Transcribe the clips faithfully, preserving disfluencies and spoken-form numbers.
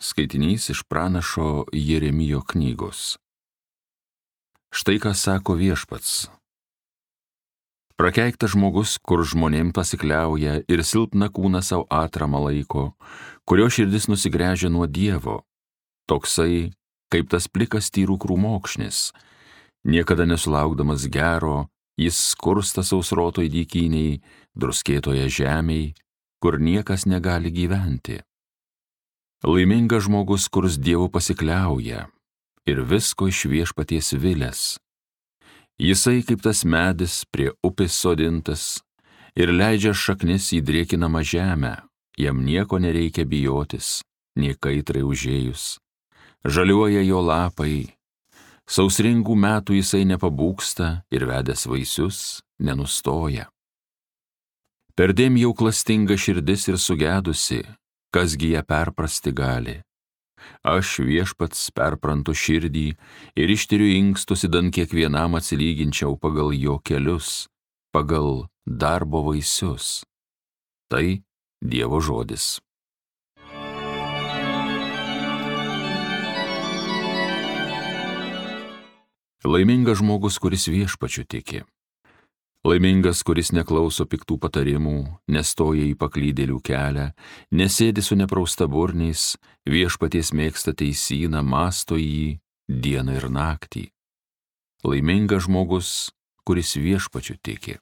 Skaitinys iš pranašo Jeremijo knygos. Štai ką sako viešpats. Prakeiktas žmogus, kur žmonėm pasikliauja ir silpną kūną savo atramą laiko, kurio širdis nusigręžia nuo Dievo, toksai, kaip tas plikas tyrų krūmokšnis, niekada nesulaukdamas gero, jis skursta sausrotoj dykynėj, druskėtoje žemėj, kur niekas negali gyventi. Laimingas žmogus, kurs Dievu pasikliauja ir visko iš viešpaties vilės. Jisai kaip tas medis prie upės sodintas ir leidžia šaknis į drėkinamą žemę, jam nieko nereikia bijotis, nė kaitrai užėjus. Žaliuoja jo lapai, sausringų metų jisai nepabūgsta ir vedęs vaisius nenustoja. Perdėm jau klastinga širdis ir sugedusi, kasgi ją perprasti gali. Aš viešpats perprantu širdį ir ištiriu inkstus, įdan kiekvienam atsilyginčiau pagal jo kelius, pagal darbo vaisius. Tai Dievo žodis. Laimingas žmogus, kuris viešpačiu tiki. Laimingas, kuris neklauso piktų patarimų, nestoja į paklydėlių kelią, nesėdi su nepraustaburniais, viešpaties mėgsta teisyną, mąsto jį dieną ir naktį. Laimingas žmogus, kuris viešpačiu tiki.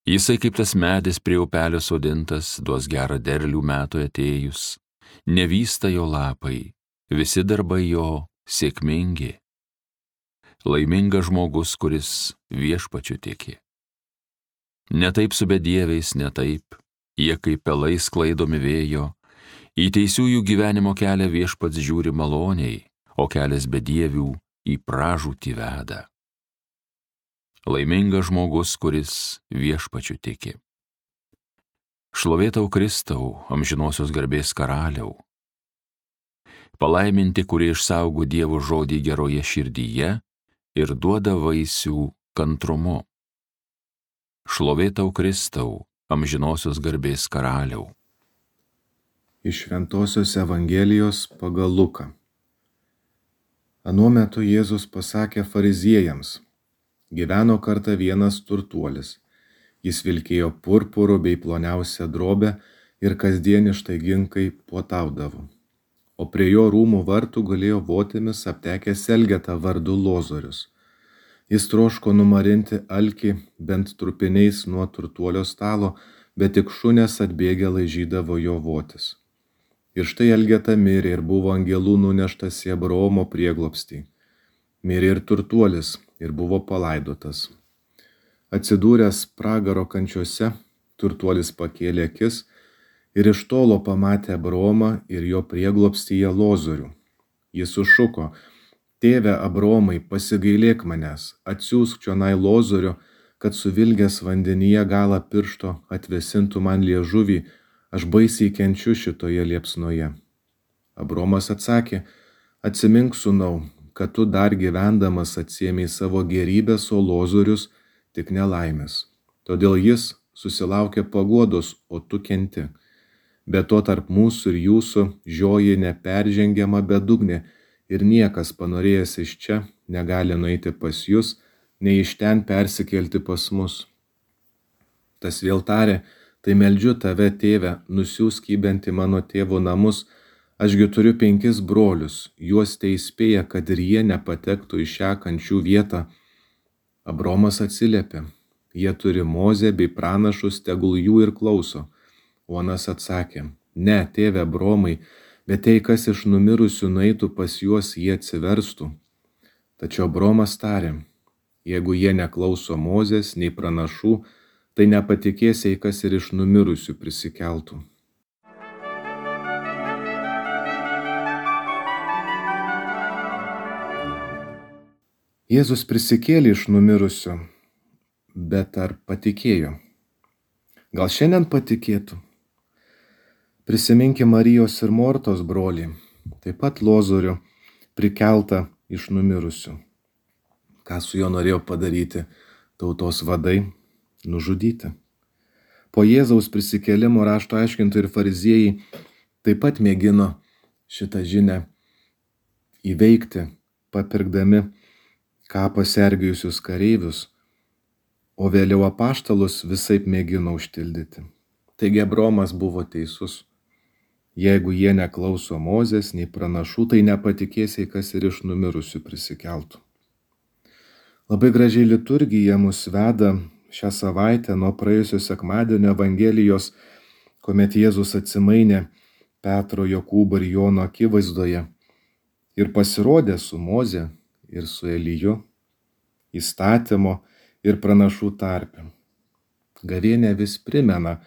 Jisai kaip tas medis prie upelio sodintas, duos gerą derlių metų atėjus, nevysta jo lapai, visi darbai jo sėkmingi. Laimingas žmogus, kuris viešpačiu tiki. Ne taip su bedieviais, ne taip, jie kaip pelai sklaidomi vėjo, į teisiųjų gyvenimo kelią viešpats žiūri maloniai, o kelias bedievių į pražūtį veda. Laimingas žmogus, kuris viešpačiu tiki. Šlovė tau Kristau, amžinosios garbės karaliau. Palaiminti, kurie išsaugo Dievo žodį geroje širdyje ir duoda vaisių kantrumu. Šlovė tau Kristau, amžinosios garbės karaliau. Iš Šventosios Evangelijos pagal Luką. Anuo metu Jėzus pasakė fariziejams: gyveno kartą vienas turtuolis. Jis vilkėjo purpuru bei ploniausią drobę ir kasdien ištaigingai puotaudavo. O prie jo rūmų vartų gulėjo votimis aptekęs elgeta vardu Lozorius. Jis troško numarinti alkį bent trupiniais nuo turtuolio stalo, bet tik šunės atbėgę laižydavo jo votis. Ir štai elgeta mirė ir buvo angelų nuneštas į Abraomo prieglobstį. Mirė ir turtuolis ir buvo palaidotas. Atsidūręs pragaro kančiose, turtuolis pakėlė akis ir iš tolo pamatė Abraomą ir jo prieglobstyje Lozorių. Jis sušuko: tėve Abraomai, pasigailėk manęs, atsiųsk čionai Lozorių, kad suvilgęs vandenyje galą piršto atvesintų man liežuvį, aš baisiai kenčiu šitoje liepsnoje. Abraomas atsakė: atsimink, sūnau, kad tu dar gyvendamas atsiėmei savo gerybės, o Lozorius tik nelaimės. Todėl jis susilaukė paguodos, o tu kenti. Be to tarp mūsų ir jūsų žioji neperžengiama bedugnė, ir niekas panorėjęs iš čia negali nueiti pas jūs, nei iš ten persikelti pas mus. Tas vėl tarė: tai meldžiu tave, tėve, nusiųsk jį bent į mano tėvo namus, ašgi turiu penkis brolius, juos teįspėja, kad ir jie nepatektų į šią kančių vietą. Abraomas atsiliepė: jie turi Mozę bei pranašus, tegul jų ir klauso. O anas atsakė: ne, tėve Abraomai, bet jei kas iš numirusių nueitų pas juos, jie atsiverstų. Tačiau Abraomas tarė: jeigu jie neklauso Mozės nei pranašų, tai nepatikės, jei kas ir iš numirusių prisikeltų. Jėzus prisikėlė iš numirusių, bet ar patikėjo? Gal šiandien patikėtų? Prisiminkime Marijos ir Mortos brolį, taip pat Lozorių, prikeltą iš numirusių. Ką su juo norėjo padaryti tautos vadai? Nužudyti. Po Jėzaus prisikėlimo rašto aiškintojai ir fariziejai taip pat mėgino šitą žinią įveikti, papirkdami kapą sergėjusius kareivius, o vėliau apaštalus visaip mėgino užtildyti. Taigi Abromas buvo teisus. Jeigu jie neklauso Mozės nei pranašų, tai nepatikėsiai, kas ir iš numirusių prisikeltų. Labai gražiai liturgija mus veda šią savaitę nuo praėjusio sekmadienio Evangelijos, kuomet Jėzus atsimainė Petro, Jokūbo ir Jono akivaizdoje ir pasirodė su Moze ir su Eliju, įstatymo ir pranašų tarpe. Gavėnia vis primena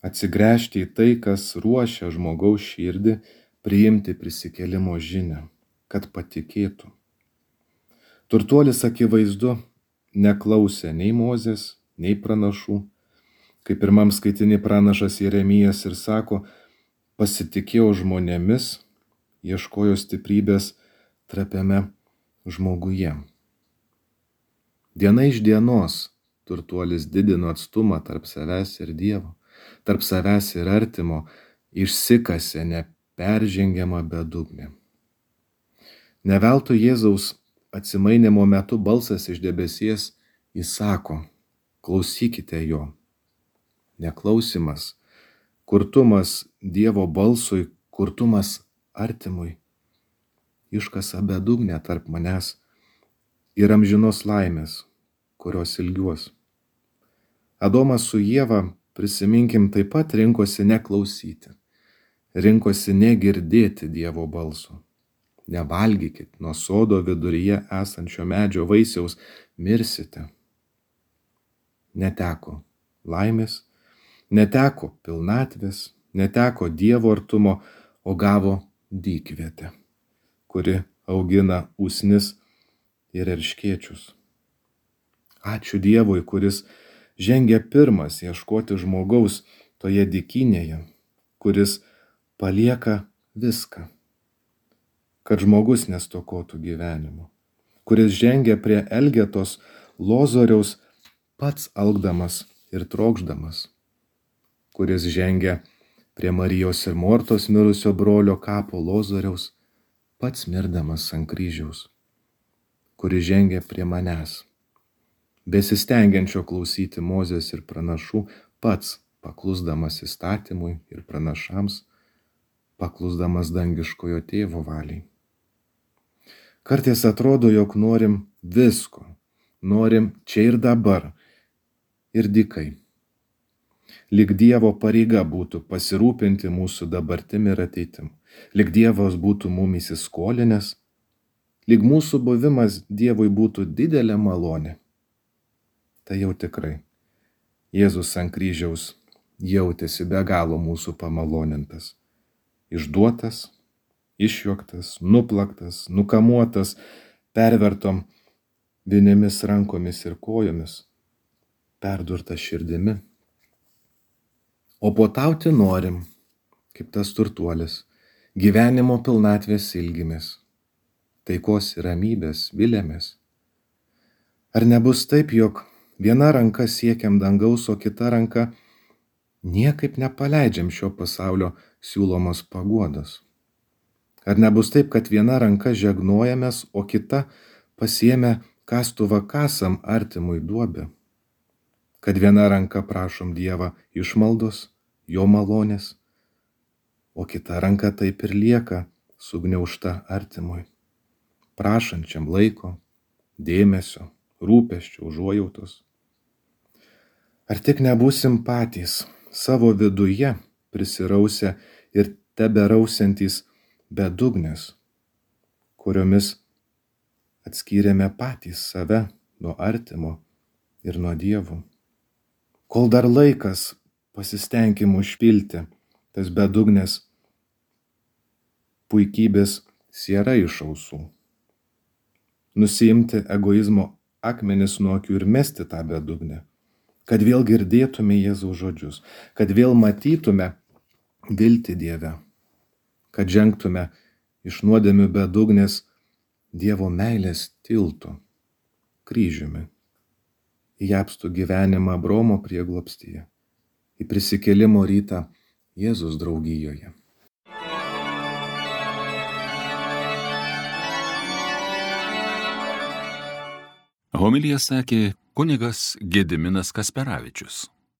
atsigręžti į tai, kas ruošia žmogaus širdį priimti prisikėlimo žinią, kad patikėtų. Turtuolis akivaizdu neklausė nei Mozės, nei pranašų. Kaip pirmam skaitinį pranašas Jeremijas ir sako, pasitikėjo žmonėmis, ieškojo stiprybės trapiame žmoguje. Diena iš dienos turtuolis didino atstumą tarp savęs ir Dievo, tarp savęs ir artimo, išsikasė neperžengiamą bedugnę. Ne veltui Jėzaus atsimainimo metu balsas iš debesies įsako, klausykite jo. Neklausimas, kurtumas Dievo balsui, kurtumas artimui, iškasa bedugnę tarp manęs ir amžinos laimės, kurios ilgiuos. Adomas su Ieva, prisiminkim, taip pat rinkosi neklausyti, rinkosi negirdėti Dievo balso. Nevalgykit nuo sodo viduryje esančio medžio vaisiaus, mirsite. Neteko laimės, neteko pilnatvės, neteko Dievo artumo, o gavo dykvietę, kuri augina usnis ir erškėčius. Ačiū Dievui, kuris žengia pirmas ieškoti žmogaus toje dykynėje, kuris palieka viską, kad žmogus nestokotų gyvenimo, kuris žengia prie Elgetos Lozoriaus pats alkdamas ir trokšdamas, kuris žengia prie Marijos ir Mortos mirusio brolio kapo Lozoriaus pats mirdamas ant kryžiaus, kuris žengia prie manęs, besistengiančio klausyti Mozės ir pranašų, pats paklusdamas įstatymui ir pranašams, paklusdamas dangiškojo tėvo valiai. Kartais atrodo, jog norim visko, norim čia ir dabar, ir dykai. Lyg Dievo pareiga būtų pasirūpinti mūsų dabartim ir ateitim, lyg Dievas būtų mum įsiskolinęs, lyg mūsų buvimas Dievui būtų didelė malonė. Tai jau tikrai. Jėzus ant kryžiaus jautėsi be galo mūsų pamalonintas, išduotas, išjuoktas, nuplaktas, nukamuotas, pervertom vinimis rankomis ir kojomis, perdurtas širdimi. O potauti norim, kaip tas turtuolis, gyvenimo pilnatvės ilgimės, taikos ir ramybės vilėmės. Ar nebus taip, jog viena ranka siekiam dangaus, o kita ranka niekaip nepaleidžiam šio pasaulio siūlomos paguodos? Ar nebus taip, kad viena ranka žegnojamės, o kita pasiėmę kastuvą kasam artimui duobę? Kad viena ranka prašom Dievą išmaldos, jo malonės, o kita ranka taip ir lieka sugniaužta artimui, prašančiam laiko, dėmesio, rūpesčio, užuojautos. Ar tik nebūsim patys savo viduje prisirausę ir teberausiantys bedugnės, kuriomis atskyrėme patys save nuo artimo ir nuo Dievo? Kol dar laikas, pasistengim užpilti tas bedugnės puikybės siera iš ausų, nusiimti egoizmo akmenis nuo akių ir mesti tą bedugnę, kad vėl girdėtume Jėzaus žodžius, kad vėl matytume viltį Dieve, kad žengtume iš nuodėmių bedugnės Dievo meilės tiltu, kryžiumi, į apstų gyvenimą Abromo prieglobstyje, į prisikėlimo rytą Jėzus draugijoje. Homiliją sakė kunigas Gediminas Kasperavičius.